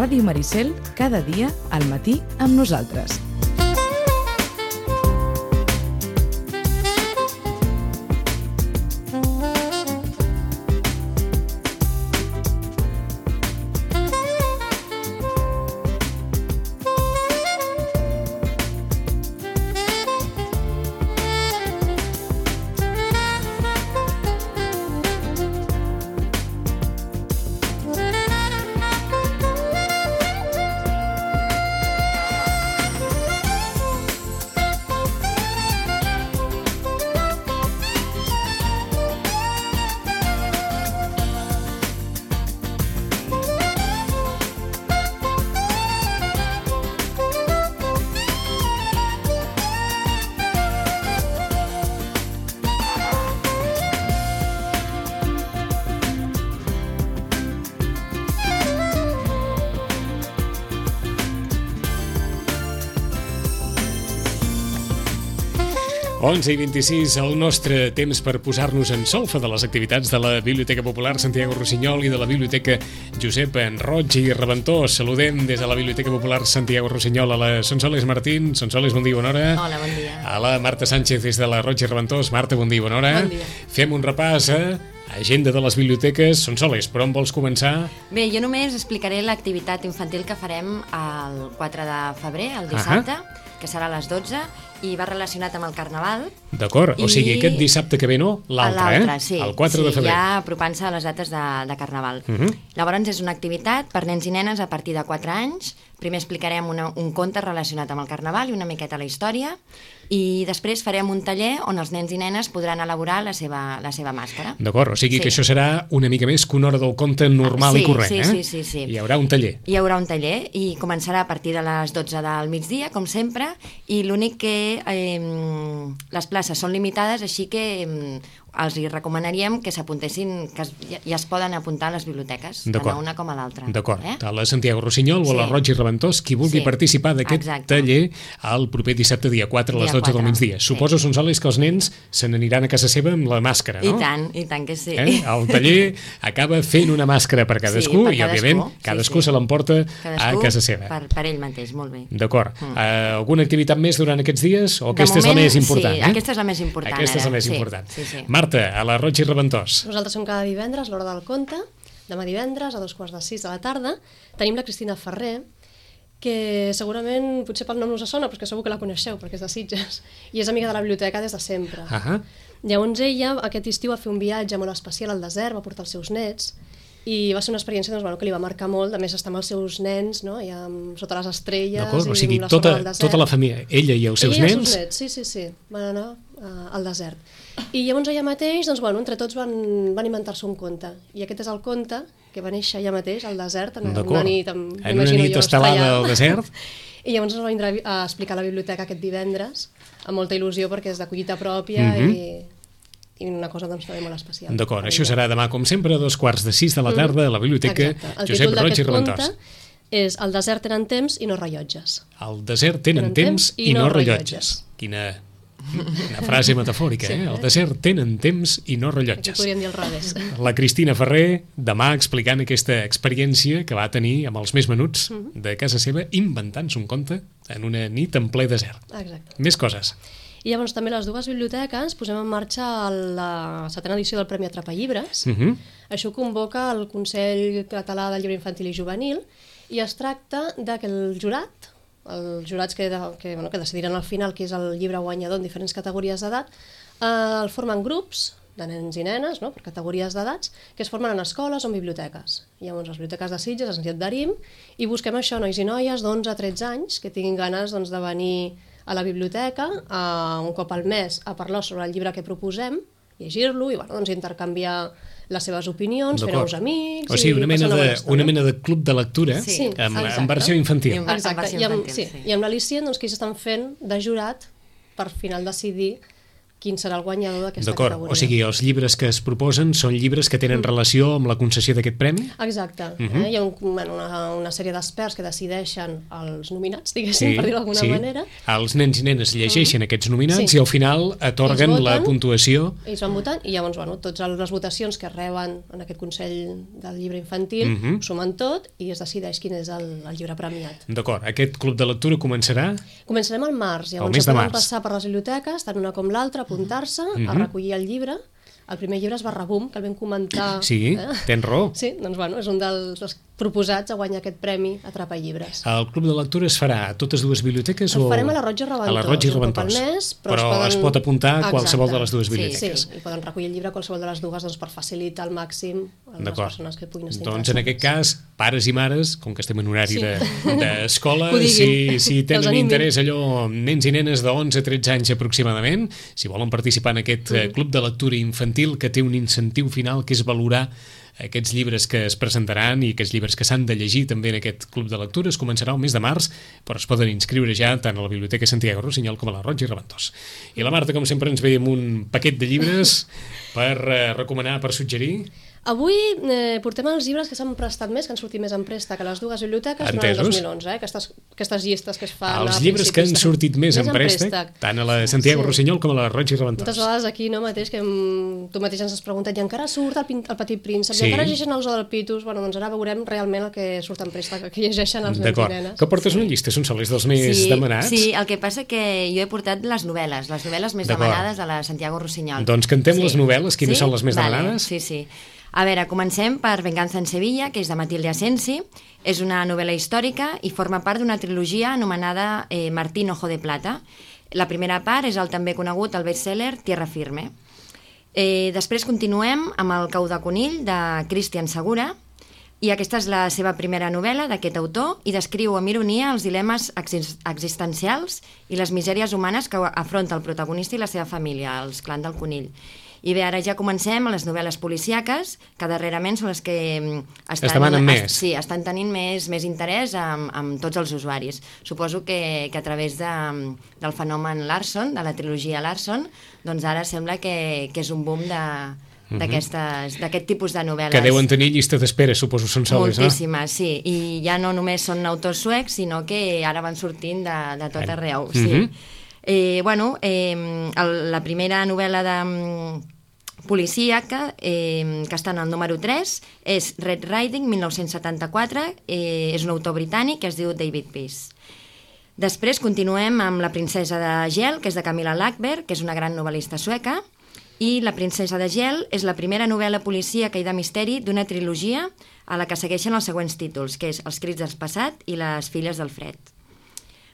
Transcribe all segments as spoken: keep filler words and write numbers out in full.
Ràdio Maricel, cada dia al matí amb nosaltres. onze i vint-i-sis, el nostre temps per posar-nos en solfa de les activitats de la Biblioteca Popular Santiago Rossinyol i de la Biblioteca Josep Roig i Reventós. Saludem des de la Biblioteca Popular Santiago Rossinyol a la Sonsoles Martín. Sonsoles, bon dia, bona hora. Hola, bon dia. A la Marta Sánchez des de la Roig i Reventós. Marta, bon dia, bona hora. Bon dia. Fem un repàs a agenda de les biblioteques. Sonsoles, per on vols començar? Bé, jo només explicaré l'activitat infantil que farem el quatre de febrer, el dissabte, uh-huh. que serà a les dotze, i va relacionat amb el Carnaval. D'acord, o sigui, I... aquest dissabte que ve no, l'altre, eh? Sí, el quatre sí, de febrer. ja apropant-se a les dates de, de Carnaval. Uh-huh. Llavors és una activitat per nens i nenes a partir de quatre anys. Primer explicarem una, un conte relacionat amb el Carnaval i una miqueta la història, i després farem un taller on els nens i nenes podran elaborar la seva, la seva màscara. D'acord, o sigui sí. que això serà una mica més que una hora del conte normal sí, i corrent, sí, eh? Sí, sí, sí. Hi haurà un taller. Hi haurà un taller i començarà a partir de les dotze del migdia, com sempre, i l'únic que eh, les places són limitades, així que eh, els hi recomanaríem que s'apuntessin, que es, ja, ja es poden apuntar a les biblioteques, tant a una com a l'altra. D'acord, eh? a la Santiago Rossinyol o a la Sí. Roig i Reventós, qui vulgui Sí. participar d'aquest Exacte. taller el proper dissabte, dia quatre, a les Dia dotze del quatre, migdia. sí. Suposo, Sonsoles, que els nens se n'aniran a casa seva amb la màscara, no? I tant, i tant que sí. Eh? El taller acaba fent una màscara per cadascú, Sí, per i, òbviament, cadascú, sí, cadascú sí. se l'emporta Cadascú a casa seva. Per, per ell mateix, molt bé. D'acord. Mm. Uh, alguna activitat més durant aquests dies? O De aquesta és la moment, més important? sí, eh? aquesta és la més important, Aquesta és la ara, més sí, important. sí, sí. Marta, a la Roig i Reventós. Nosaltres som cada divendres, a l'hora del conte, demà divendres, a dos quarts de sis de la tarda. Tenim la Cristina Ferrer, que segurament, potser pel nom no us sona, però és que segur que la coneixeu, perquè és de Sitges, i és amiga de la biblioteca des de sempre. Ahà. Llavors ella, aquest estiu, va fer un viatge molt especial al desert, va portar els seus nets, i va ser una experiència doncs, bueno, que li va marcar molt, a més estar amb els seus nens, no? I amb, sota les estrelles, D'acord, o i sigui, la tota, sorra del desert. tota la família, ella i els seus ella i nens... els seus nets, sí, sí, sí, van anar uh, al desert. I llavors allà mateix, doncs, bueno, entre tots van, van inventar-se un conte, i aquest és el conte que va néixer allà mateix, al desert, en una nit, amb, en una nit estelada al desert. I llavors ens va vindre a explicar a la biblioteca aquest divendres, amb molta il·lusió, perquè és de collita pròpia, Mhm. i... i una cosa doncs, també molt especial. D'acord, això serà demà, com sempre, a dos quarts de sis de la tarda, a la biblioteca Josep Roig i Reventós. És El desert tenen temps i no rellotges. El desert tenen temps i no rellotges. Quina, una frase metafòrica, Sí, eh? eh? El desert tenen temps i no Aquí rellotges. podríem dir al revés. La Cristina Ferrer, demà explicant aquesta experiència que va tenir amb els més menuts de casa seva, inventant-se un conte en una nit en ple desert. Exacte. Més coses. I llavors també les dues biblioteques posem en marxa la setena edició del Premi Atrapa Llibres. Uh -huh. Això ho convoca el Consell Català del Llibre Infantil i Juvenil i es tracta de que el jurat, els jurats que, que, bueno, que decidiran al final qui és el llibre guanyador en diferents categories d'edat, eh, el formen grups de nens i nenes, no?, per categories d'edats, que es formen en escoles o en biblioteques. Llavors, les biblioteques de Sitges ens hi adherim i busquem això, nois i noies d'onze a tretze anys que tinguin ganes doncs, de venir a la biblioteca uh, un cop al mes a parlar sobre el llibre que proposem, llegir-lo i bueno, doncs, intercanviar les seves opinions, fer nous amics... O sigui, una mena, una de, estona. una mena de club de lectura sí, amb, exacte. amb versió infantil. I amb- Exacte, versió i amb, infantil, sí, sí. i amb l'Alicient doncs, que ells estan fent de jurat per final decidir quin serà el guanyador d'aquesta D'acord, categoria. o sigui, els llibres que es proposen són llibres que tenen relació amb la concessió d'aquest premi? Exacte. Uh -huh. eh? Hi ha un, bueno, una, una sèrie d'experts que decideixen els nominats, diguéssim, Sí, per dir-ho d'alguna sí. manera. Els nens i nenes llegeixen uh -huh. aquests nominats Sí. i al final atorguen Ells la voten, puntuació. Ells van votant i llavors, bueno, totes les votacions que reben en aquest Consell del Llibre Infantil Uh -huh. ho sumen tot i es decideix quin és el, el llibre premiat. D'acord, aquest club de lectura començarà? Començarem al març, llavors mes de poden març. passar per les biblioteques, tant una com l'altra, apuntar-se, Uh -huh. a recollir el llibre. El primer llibre és Barrabum, que el vam comentar... Sí, eh? tens raó. Sí, doncs bueno, és un dels, dels proposats a guanyar aquest premi Atrapa Llibres. El club de lectura es farà a totes dues biblioteques? El o... farem a la Roig i Reventós. A la Roig i un cop Reventós. al mes, però però es poden- es pot apuntar a Exacte. qualsevol de les dues Sí, biblioteques. Sí, i poden recollir el llibre a qualsevol de les dues doncs, per facilitar al màxim a les D'acord. persones que puguin estar Doncs en aquest cas, pares i mares, com que estem en horari Sí. de- d'escola, Que ho de, si, diguin, si que els tenen animin. interès allò, nens i nenes d'onze a tretze anys aproximadament, si volen participar en aquest eh, club de lectura infantil que té un incentiu final que és valorar aquests llibres que es presentaran i aquests llibres que s'han de llegir també en aquest club de lectura. Es començarà el mes de març, però es poden inscriure ja tant a la Biblioteca Santiago Rossinyol com a la Roig i Reventós. I la Marta, com sempre, ens ve amb un paquet de llibres per eh, recomanar, per suggerir. Avui eh, portem els llibres que s'han prestat més, que han sortit més en préstec a les dues biblioteques durant el Entesos. dos mil onze, eh? aquestes, aquestes llistes que es fan Els a llibres que han principis de- sortit més en préstec, tant a la Santiago Sí. Rossinyol com a la Roig i Moltes Reventós. vegades aquí no mateix que mm, tu mateix ens has preguntat i encara surt el, pin- el Petit Príncep, Sí. i encara llegeixen el Zoo del Pitus, bueno, doncs ara veurem realment el que surt en préstec, el que llegeixen els nens i D'acord. nenes. Que portes una llista? Són sols dels més sí, demanats? Sí, el que passa que jo he portat les novel·les, les novel·les més D'acord. demanades a la Santiago Rossinyol. Doncs cantem les novel·les, quines són les més vale, demanades? Sí, sí. A veure, comencem per Venganza en Sevilla, que és de Matilde Asensi. És una novel·la històrica i forma part d'una trilogia anomenada eh, Martín Ojo de Plata. La primera part és el també conegut, el best-seller Tierra Firme. Eh, després continuem amb El cau de conill, de Cristian Segura, i aquesta és la seva primera novel·la d'aquest autor i descriu amb ironia els dilemes exis- existencials i les misèries humanes que afronta el protagonista i la seva família, els clans del conill. I bé, ara ja comencem amb les novel·les policíaques, que darrerament són les que mm, estan, Es demanen més. Es, sí, estan tenint més, més interès amb, amb tots els usuaris. Suposo que, que a través de, del fenomen Larson, de la trilogia Larson, doncs ara sembla que, que és un boom de d'aquest tipus de novel·les. Que deuen tenir llista d'espera, suposo, són soles, no? Moltíssimes, sí. I ja no només són autors suecs, sinó que ara van sortint de, de tot arreu. Sí. Mhm. eh, bueno, eh, el, la primera novel·la de mm, policíaca, eh, que està en el número tres, és Red Riding, mil nou-cents setanta-quatre, eh, és un autor britànic que es diu David Peace. Després continuem amb La princesa de gel, que és de Camilla Läckberg, que és una gran novel·lista sueca, i La princesa de gel és la primera novel·la policíaca i de misteri d'una trilogia a la que segueixen els següents títols, que és Els crits del passat i Les filles del fred.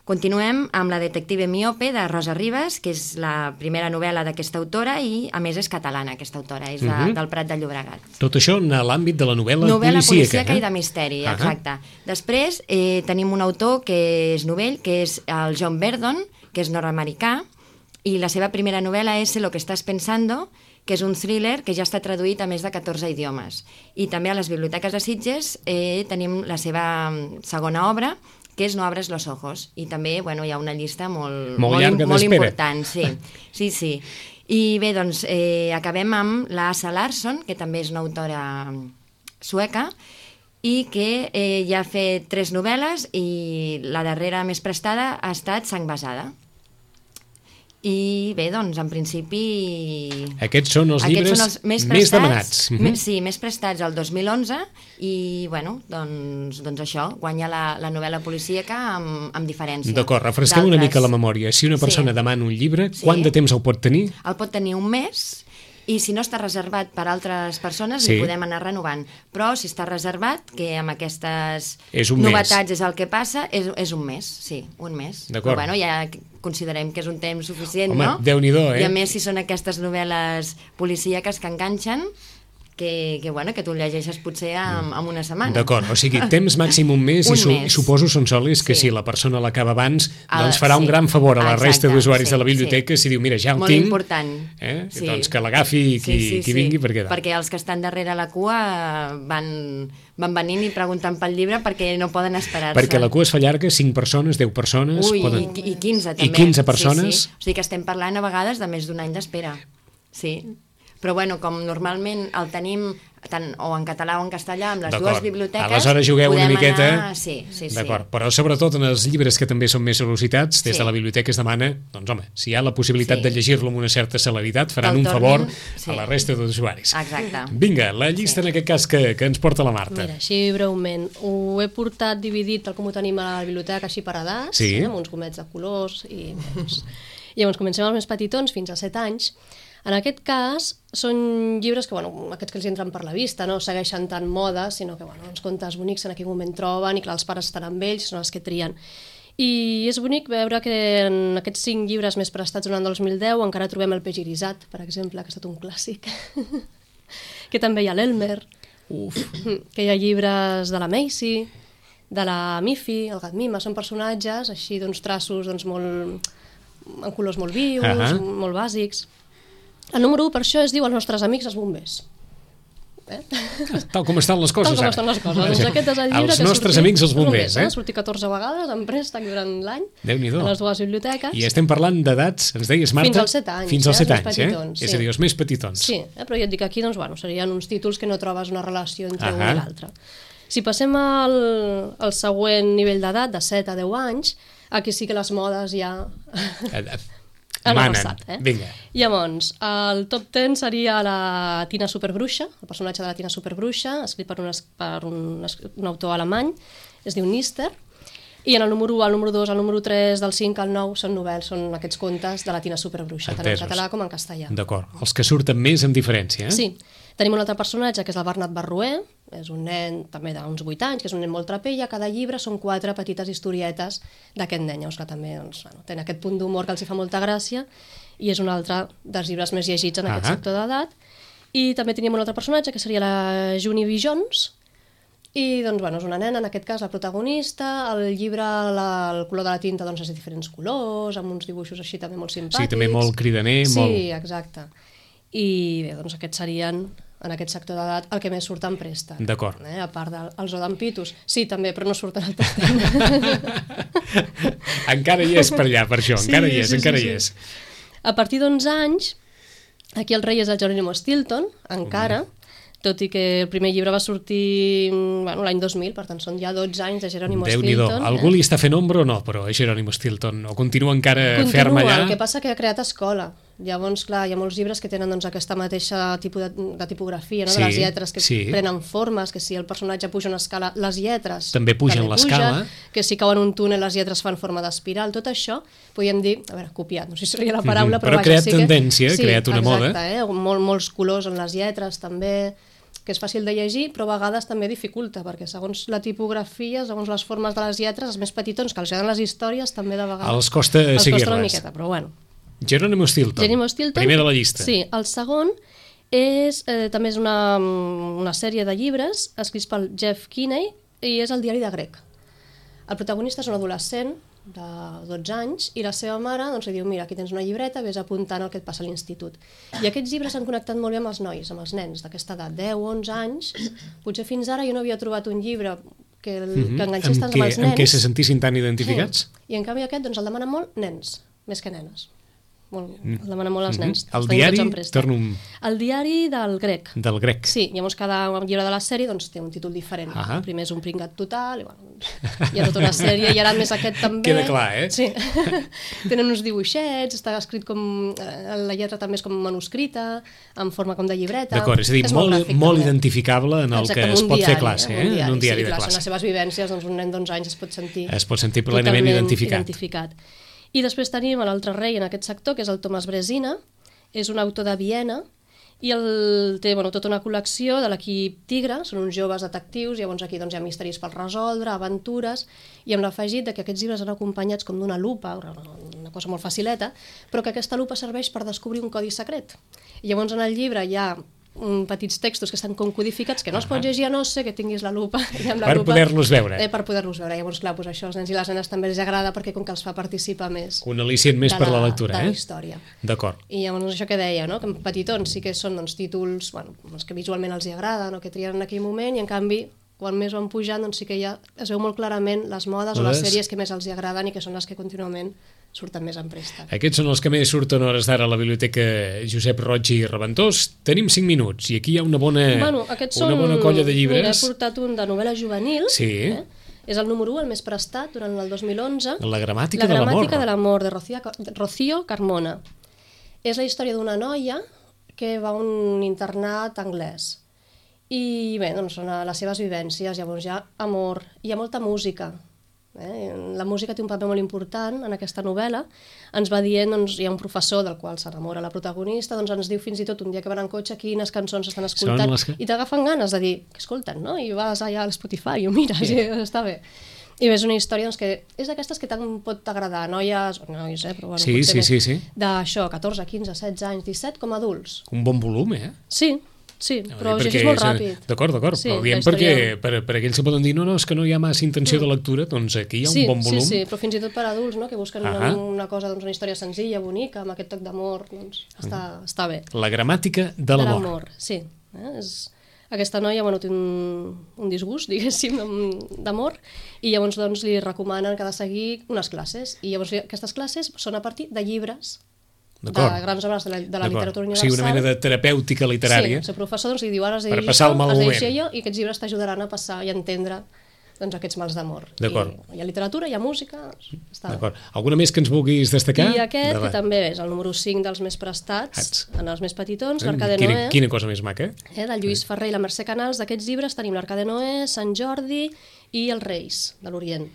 Continuem amb La detective miope, de Rosa Ribas, que és la primera novel·la d'aquesta autora i, a més, és catalana, aquesta autora, és de, Mhm. del Prat de Llobregat. Tot això en l'àmbit de la novel·la, Novel·la policíaca, policíaca eh? i de misteri, Ahà. exacte. Després eh, tenim un autor que és novell, que és el John Verdon, que és nord-americà, i la seva primera novel·la és Sé lo que estás pensando, que és un thriller que ja està traduït a més de catorze idiomes. I també a les biblioteques de Sitges eh, tenim la seva mm, segona obra, que és No abres los ojos, i també bueno, hi ha una llista molt, Molt molt, llarga molt d'espera. important. Sí, sí, sí. I bé, doncs, eh, acabem amb la Asa Larsson, que també és una autora sueca, i que eh, ja ha fet tres novel·les i la darrera més prestada ha estat Sang basada. I bé, doncs, en principi... Aquests són els Aquests llibres són els més, més prestats, demanats. Mhm. més, sí, més prestats el dos mil onze i, bueno, doncs, doncs això, guanya la, la novel·la policíaca amb, amb diferència. D'acord, refresquem una d'altres. mica la memòria. Si una persona Sí. demana un llibre, Sí. quant de temps el pot tenir? El pot tenir un mes i si no està reservat per altres persones Sí. li podem anar renovant. Però si està reservat, que amb aquestes És un novetats mes. és el que passa, és, és un mes, sí, un mes. D'acord. Però bueno, ja considerem que és un temps suficient, Home, no? Déu-n'hi-do, eh? I a més, si són aquestes novel·les policíaques que enganxen, que, que, bueno, que tu el llegeixes potser en, en una setmana. D'acord, o sigui, temps màxim un mes, un i, su mes. i suposo, Sonsoles, que sí. si la persona l'acaba abans, doncs farà sí. un gran favor a la Exacte, resta d'usuaris sí, de la biblioteca sí. si diu, mira, ja ho Molt tinc, important. Eh? Sí. doncs que l'agafi qui, sí, sí, qui sí. vingui per quedar. Perquè els que estan darrere la cua van, van venint i preguntant pel llibre perquè no poden esperar-se. Perquè la cua es fa llarga, cinc persones, deu persones... Ui, poden... i, i quinze també. I quinze persones. Sí, sí. O sigui que estem parlant a vegades de més d'un any d'espera. Sí. Però bueno, com normalment el tenim tant o en català o en castellà amb les dues biblioteques, aleshores jugueu una miqueta anar... sí, sí, sí. D'acord, però sobretot en els llibres que també són més sol·licitats, des sí. de la biblioteca es demana, doncs home, si hi ha la possibilitat sí. de llegir-lo amb una certa celeritat, faran un favor sí. a la resta d'usuaris. Exacte. Vinga, la llista sí. en aquest cas que, que ens porta la Marta. Mira, així breument, ho he portat dividit tal com ho tenim a la biblioteca, així per edats, sí. eh, amb uns gomets de colors i... Doncs... Llavors comencem amb els més petitons, fins a set anys. En aquest cas, són llibres que, bueno, aquests que els entren per la vista, no segueixen tant moda, sinó que, bueno, uns contes bonics en aquell moment troben i clar, els pares estan amb ells, són els que trien. I és bonic veure que en aquests cinc llibres més prestats durant dos mil deu encara trobem el peix irisat, per exemple, que ha estat un clàssic. Que també hi ha l'Elmer, que hi ha llibres de la Macy, de la Miffy, el gat Mima, són personatges així d'uns traços doncs, molt, en colors molt vius, uh -huh. molt bàsics. El número u, per això, es diu Els nostres amics els bombers. Eh? Tal com estan les coses, Tal com ara. estan les coses. Doncs aquest és el llibre Els que nostres sortit, amics els bombers, eh? Ha sortit catorze vegades en préstec durant l'any Déu-n'hi-do. a les dues biblioteques. I estem parlant d'edats, ens deies, Marta? Fins als set anys. Fins als eh? set anys, petitons, eh? sí. És a dir, els més petitons. Sí, eh? Però ja et dic, aquí doncs, bueno, serien uns títols que no trobes una relació entre uh -huh. un i l'altre. Si passem al, al següent nivell d'edat, de set a deu anys, aquí sí que les modes ja... Han avançat, eh? Vinga. Llavors, el top deu seria la Tina Superbruixa, el personatge de la Tina Superbruixa, escrit per un, per un, un autor alemany, es diu Nister, i en el número u, el número dos, el número tres, del cinc al nou són novel·les, són aquests contes de la Tina Superbruixa, tant en català com en castellà. D'acord, els que surten més amb diferència, eh? Sí. Tenim un altre personatge, que és el Bernat Barroer, és un nen també d'uns vuit anys, que és un nen molt traper, i a cada llibre són quatre petites historietes d'aquest nen, llavors que també doncs, bueno, té aquest punt d'humor que els hi fa molta gràcia, i és un altre dels llibres més llegits en aquest uh -huh. sector d'edat. I també teníem un altre personatge, que seria la Junie B. Jones, i doncs, bueno, és una nena, en aquest cas la protagonista, el llibre, la, el color de la tinta doncs, és de diferents colors, amb uns dibuixos així també molt simpàtics. Sí, també molt cridaner. Sí, molt... exacte. I bé, doncs aquests serien... en aquest sector d'edat, el que més surt en préstec. D'acord. Eh? A part dels odampitos. Sí, també, però no surten al top deu. Encara hi és per allà, per això. Sí, encara hi és, sí, encara sí, hi és. Sí. A partir d'onze anys, aquí el rei és el Geronimo Stilton, encara, mm. tot i que el primer llibre va sortir bueno, l'any dos mil, per tant són ja dotze anys de Geronimo Déu-n'hi-do. Stilton. Algú eh? li està fent ombra o no, però, és Geronimo Stilton? O continua encara continua, ferm allà? El que passa que ha creat escola. Llavors, clar, hi ha molts llibres que tenen doncs, aquesta mateixa tipus de, de tipografia, no? Sí, de les lletres que sí. prenen formes, que si el personatge puja una escala, les lletres també pugen l'escala, pugen, que si cauen un túnel les lletres fan forma d'espiral, tot això, podríem dir, a veure, copiat, no sé si seria la paraula, mm -hmm. però, però vaja, creat sí tendència, que... sí, creat una exacte, moda. Eh? Mol, molts colors en les lletres també, que és fàcil de llegir, però a vegades també dificulta, perquè segons la tipografia, segons les formes de les lletres, els més petitons, que els agraden les històries, també de vegades... Els costa els seguir-les. costa una miqueta, però bueno. Geronimo Stilton, Geronimo Stilton, primer de la llista. Sí, el segon és, eh, també és una, una sèrie de llibres escrits pel Jeff Kinney i és el diari de Greg. El protagonista és un adolescent de dotze anys i la seva mare doncs, li diu, mira, aquí tens una llibreta, vés apuntant el que et passa a l'institut. I aquests llibres han connectat molt bé amb els nois, amb els nens d'aquesta edat, deu, onze anys. Potser fins ara jo no havia trobat un llibre que, el, mm-hmm. que enganxés tant amb, amb els nens. Amb què se sentissin tan identificats? Sí. I en canvi aquest doncs, el demana molt nens, més que nenes. Molt, el demana molt als nens. Mm-hmm. El diari, torno un... El diari del Grec. Del Grec. Sí, llavors cada llibre de la sèrie doncs, té un títol diferent. Uh -huh. El primer és un pringat total, i bueno, doncs, hi ha tota una sèrie, i ara més aquest també. Queda clar, eh? Sí. Tenen uns dibuixets, està escrit com... La lletra també és com manuscrita, en forma com de llibreta. D'acord, és a dir, és molt, molt, molt identificable en el exacte, que es pot diari, fer classe, eh? En un diari, en un diari sí, de clar, classe. Són les seves vivències, doncs un nen d'onze anys es pot sentir... Es pot sentir plenament identificat. identificat. I després tenim l'altre rei en aquest sector, que és el Thomas Brezina, és un autor de Viena, i el, té bueno, tota una col·lecció de l'equip Tigre, són uns joves detectius, llavors aquí doncs, hi ha misteris per resoldre, aventures, i amb l'afegit que aquests llibres han acompanyats com d'una lupa, una cosa molt facileta, però que aquesta lupa serveix per descobrir un codi secret. I llavors en el llibre hi ha um, petits textos que estan com codificats, que no es pot llegir a no ser que tinguis la lupa. I amb la per lupa, poder-los veure. Eh, per poder-los veure. Llavors, clar, doncs això als nens i les nenes també els agrada perquè com que els fa participar més. Un al·licient més de per la la- lectura, de eh? la història. D'acord. I llavors això que deia, no? Que en petitons sí que són doncs, títols bueno, els que visualment els hi agraden o que trien en aquell moment, i en canvi quan més van pujant doncs sí que ja es veu molt clarament les modes o les Les- sèries que més els hi agraden i que són les que contínuament surten més en préstec. Aquests són els que més surten a hores d'ara a la Biblioteca Josep Roig i Reventós. Tenim cinc minuts i aquí hi ha una bona, Bueno, aquests una són... bona colla de Mira, he llibres. portat un de novel·la juvenil. Sí. Eh? És el número u, el més prestat, durant el dos mil onze. La gramàtica La de l'amor. gramàtica de l'amor, de Rocío, Rocío Carmona. És la història d'una noia que va a un internat anglès. I bé, doncs són les seves vivències, llavors hi ha amor, hi ha molta música. Eh? La música té un paper molt important en aquesta novel·la. Ens va dient, doncs, hi ha un professor del qual s'enamora la protagonista, doncs ens diu fins i tot un dia que van en cotxe quines cançons estan escoltant, les que- i t'agafen ganes de dir, què escolten, no? I vas allà al Spotify i ho mires, sí. I està bé. I bé, és una història doncs, que és d'aquestes que tant pot agradar a noies, o nois, eh, però bueno, Sí, potser sí, més, sí, sí. d'això, catorze, quinze, setze anys, disset, com a adults. Un bon volum, eh? Sí, sí, però Perquè llegeix molt és- ràpid. D'acord, d'acord, Sí, però diem la història- perquè per, per aquells que poden dir no, no, és que no hi ha massa intenció de lectura, doncs aquí hi ha un sí, bon volum. Sí, sí, però fins i tot per adults, no?, que busquen Ahà. una, una cosa, doncs, una història senzilla, bonica, amb aquest toc d'amor, doncs està, està bé. La gramàtica de De l'amor. l'amor, sí. Eh? És... Aquesta noia bueno, té un, un disgust, diguéssim, d'am- d'amor, i llavors doncs, li recomanen que ha de seguir unes classes. I llavors aquestes classes són a partir de llibres, de D'acord. grans obres de la, de la D'acord. literatura O universal. sigui, una mena de terapèutica literària. Sí, el seu professor doncs, li diu, ara has de Per llegir passar el això, mal has de moment. llegir allò, i aquests llibres t'ajudaran a passar i a entendre doncs, aquests mals d'amor. D'acord. I hi ha literatura, hi ha música, està bé. D'acord. Alguna més que ens vulguis destacar? I aquest, Davant. que també és el número cinc dels més prestats, Ats. en els més petitons, Eh, l'Arca de quina, Noé, quina cosa més maca. eh, del Lluís Ferrer i la Mercè Canals. D'aquests llibres tenim l'Arca de Noé, Sant Jordi i els Reis de l'Orient.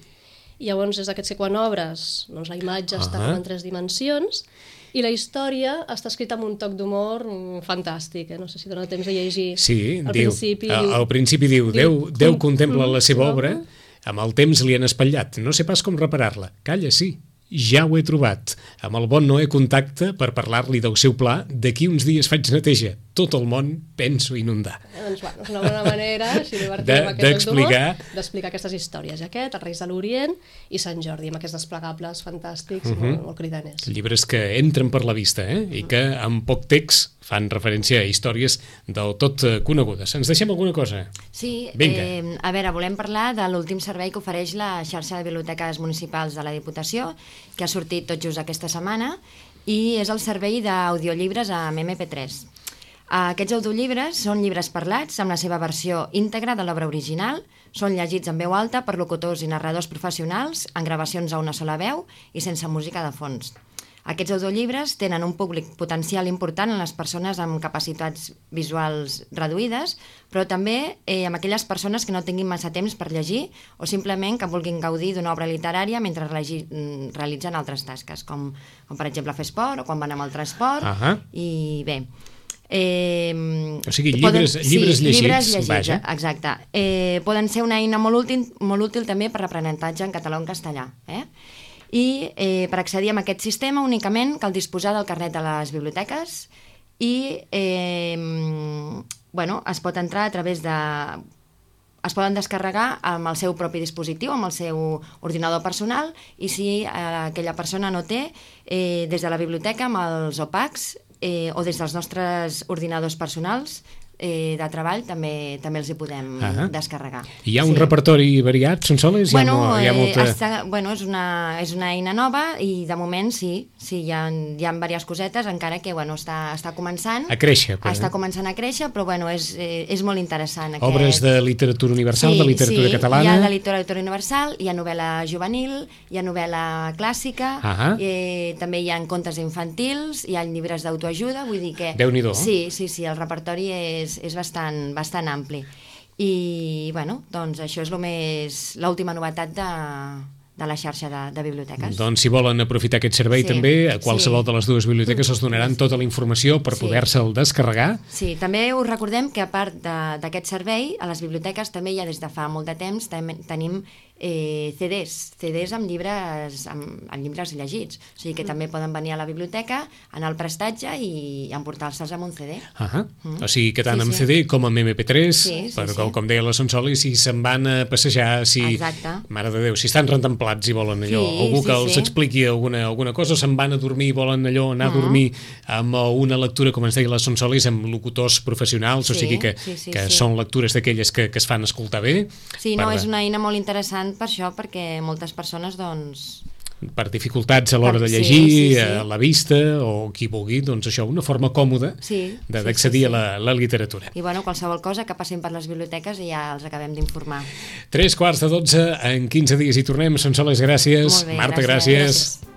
I llavors és d'aquests que quan obres doncs, la imatge està Ah. en tres dimensions i la història està escrita amb un toc d'humor mm, fantàstic. Eh? No sé si dona temps de llegir. Sí, al diu, principi. al, diu- al principi diu, Déu, diu, Déu "Com- contempla mm, la seva no, obra, amb el temps li han espatllat, no sé pas com reparar-la. Calla, sí, ja ho he trobat. Amb el bon Noé contacte per parlar-li del seu pla, d'aquí uns dies faig neteja. Tot el món penso inundar. Eh, doncs, bueno, és una bona manera així divertida De- amb aquest joc d'humor, d'explicar. d'explicar aquestes històries. I aquest, els Reis de l'Orient i Sant Jordi, amb aquests desplegables fantàstics, Mhm. molt, molt cridaners. Llibres que entren per la vista, eh? I que amb poc text fan referència a històries del tot eh, conegudes. Ens deixem alguna cosa? Sí, Vinga. eh, a veure, volem parlar de l'últim servei que ofereix la xarxa de biblioteques municipals de la Diputació, que ha sortit tot just aquesta setmana, i és el servei d'audiollibres amb eme pe tres. Aquests audiollibres són llibres parlats amb la seva versió íntegra de l'obra original, són llegits en veu alta per locutors i narradors professionals, en gravacions a una sola veu i sense música de fons. Aquests audiollibres tenen un públic potencial important en les persones amb capacitats visuals reduïdes, però també eh, amb aquelles persones que no tinguin massa temps per llegir o simplement que vulguin gaudir d'una obra literària mentre relegi, mm, realitzen altres tasques, com, com per exemple fer esport o quan van amb el transport. Ahà. I bé... Eh, O sigui, llibres- llibres sí, llegits, llibres llegits, vaja. exacte. Eh, poden ser una eina molt útil, molt útil també per l'aprenentatge en català o en castellà. Eh? I eh, per accedir a aquest sistema únicament cal disposar del carnet de les biblioteques i eh, bueno, es pot entrar a través de... es poden descarregar amb el seu propi dispositiu, amb el seu ordinador personal, i si eh, aquella persona no té, eh, des de la biblioteca amb els O P A Cs eh, o des dels nostres ordinadors personals eh, de treball també també els hi podem Ah. descarregar. Hi ha un repertori variat, Sonsoles? Bueno, hi ha, mo- hi ha eh, molta... està, bueno és, una, és una eina nova i de moment sí, sí hi ha, hi ha diverses cosetes, encara que bueno, està, està començant. A créixer, però, Està eh? començant a créixer, però bueno, és, eh, és molt interessant. Obres de literatura universal, de literatura sí, catalana... hi ha de literatura universal, hi ha novel·la juvenil, hi ha novel·la clàssica, Ahà. eh, també hi ha contes infantils, hi ha llibres d'autoajuda, vull dir que... Déu-n'hi-do. Sí, sí, sí, el repertori és, és bastant, bastant ampli. I, bueno, doncs això és lo més l'última novetat de, de la xarxa de, de biblioteques. Doncs si volen aprofitar aquest servei Sí, també, a qualsevol sí. de les dues biblioteques els donaran tota la informació per Sí. poder-se'l descarregar. Sí, també us recordem que a part de- d'aquest servei, a les biblioteques també ja des de fa molt de temps tem- tenim eh, C Ds, C Ds amb llibres, amb, amb llibres llegits. O sigui que mm. també poden venir a la biblioteca, anar al prestatge i emportar-se'ls amb un C D. Uh -huh. mm. O sigui que tant sí, amb sí. C D com amb M P tres, sí, sí, però com, sí. com deia la Sonsoli, si se'n van a passejar, si... Exacte. Mare de Déu, si estan rentemplats i volen allò, sí, algú que sí, els sí. expliqui alguna, alguna cosa, se'n van a dormir i volen allò, anar uh -huh. a dormir amb una lectura, com ens deia la Sonsolis, amb locutors professionals, sí, o sigui que, sí, sí, que sí. són lectures d'aquelles que, que es fan escoltar bé. Sí, per... no, és una eina molt interessant per això, perquè moltes persones, doncs... per dificultats a l'hora de llegir, sí, sí, sí. a la vista, o qui vulgui, doncs això, una forma còmoda sí, d'accedir sí, sí, sí. a la, la literatura. I bueno, qualsevol cosa que passin per les biblioteques i ja els acabem d'informar. Tres quarts de dotze, en quinze dies hi tornem. Sonsoles, gràcies. Molt bé, Marta, gràcies. gràcies. gràcies.